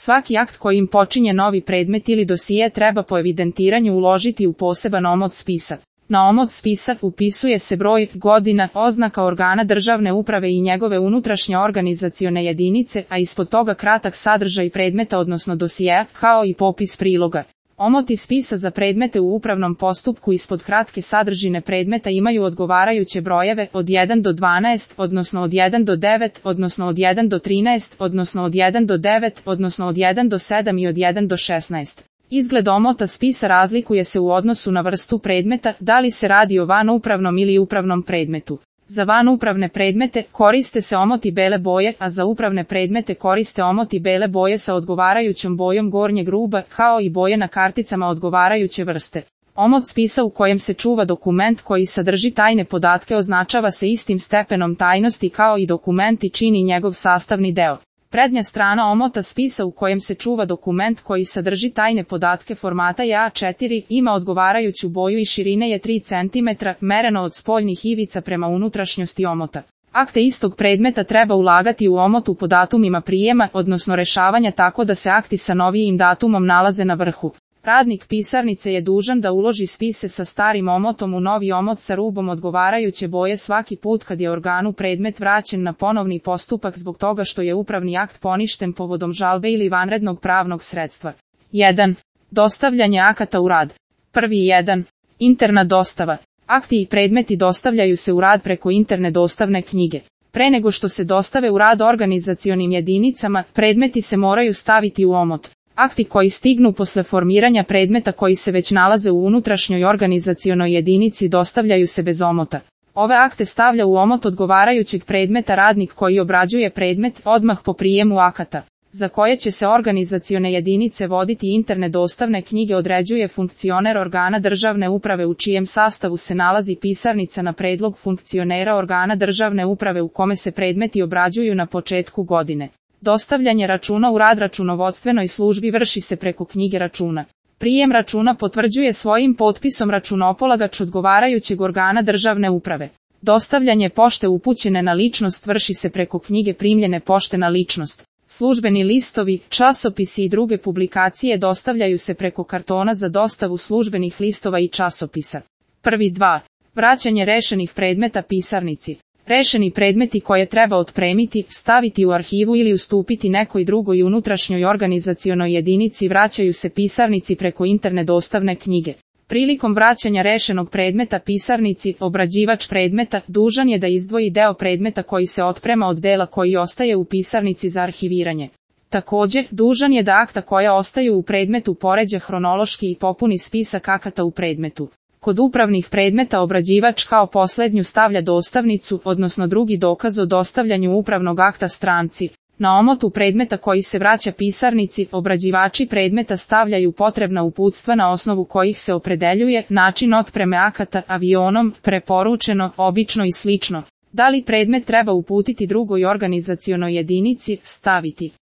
Svaki akt kojim počinje novi predmet ili dosije treba po evidentiranju uložiti u poseban omot spisak. Na omot spisak upisuje se broj, godina, oznaka organa državne uprave i njegove unutrašnje organizacione jedinice, a ispod toga kratak sadržaj predmeta odnosno dosijeja, kao i popis priloga. Omoti spisa za predmete u upravnom postupku ispod kratke sadržine predmeta imaju odgovarajuće brojeve od 1 do 12, odnosno od 1 do 9, odnosno od 1 do 13, odnosno od 1 do 9, odnosno od 1 do 7 i od 1 do 16. Izgled omota spisa razlikuje se u odnosu na vrstu predmeta, da li se radi o vanupravnom ili upravnom predmetu. Za vanupravne predmete koriste se omoti bele boje, a za upravne predmete koriste omoti bele boje sa odgovarajućom bojom gornjeg ruba, kao i boje na karticama odgovarajuće vrste. Omot spisa u kojem se čuva dokument koji sadrži tajne podatke označava se istim stepenom tajnosti kao i dokument i čini njegov sastavni deo. Prednja strana omota spisa u kojem se čuva dokument koji sadrži tajne podatke formata je A4, ima odgovarajuću boju i širine je 3 cm, mereno od spoljnih ivica prema unutrašnjosti omota. Akte istog predmeta treba ulagati u omotu po datumima prijema, odnosno rešavanja tako da se akti sa novijim datumom nalaze na vrhu. Radnik pisarnice je dužan da uloži spise sa starim omotom u novi omot sa rubom odgovarajuće boje svaki put kad je organu predmet vraćen na ponovni postupak zbog toga što je upravni akt poništen povodom žalbe ili vanrednog pravnog sredstva. 1. Dostavljanje akata u rad. 1. Interna dostava. Akti i predmeti dostavljaju se u rad preko interne dostavne knjige. Pre nego što se dostave u rad organizacionim jedinicama, predmeti se moraju staviti u omot. Akti koji stignu posle formiranja predmeta koji se već nalaze u unutrašnjoj organizacionoj jedinici dostavljaju se bez omota. Ove akte stavlja u omot odgovarajućeg predmeta radnik koji obrađuje predmet odmah po prijemu akata, za koje će se organizacione jedinice voditi interne dostavne knjige određuje funkcioner organa državne uprave u čijem sastavu se nalazi pisarnica na predlog funkcionera organa državne uprave u kome se predmeti obrađuju na početku godine. Dostavljanje računa u rad računovodstvenoj službi vrši se preko knjige računa. Prijem računa potvrđuje svojim potpisom računopolagač odgovarajućeg organa državne uprave. Dostavljanje pošte upućene na ličnost vrši se preko knjige primljene pošte na ličnost. Službeni listovi, časopisi i druge publikacije dostavljaju se preko kartona za dostavu službenih listova i časopisa. 2. Vraćanje rešenih predmeta pisarnici. Rešeni predmeti koje treba otpremiti, staviti u arhivu ili ustupiti nekoj drugoj unutrašnjoj organizacionoj jedinici vraćaju se pisarnici preko interne dostavne knjige. Prilikom vraćanja rešenog predmeta pisarnici, obrađivač predmeta dužan je da izdvoji deo predmeta koji se otprema od dela koji ostaje u pisarnici za arhiviranje. Također, dužan je da akta koja ostaju u predmetu poređa hronološki i popuni spisak akata u predmetu. Kod upravnih predmeta obrađivač kao poslednju stavlja dostavnicu, odnosno drugi dokaz o dostavljanju upravnog akta stranci. Na omotu predmeta koji se vraća pisarnici, obrađivači predmeta stavljaju potrebna uputstva na osnovu kojih se opredeljuje način otpreme akata avionom, preporučeno, obično i slično. Da li predmet treba uputiti drugoj organizacionoj jedinici, staviti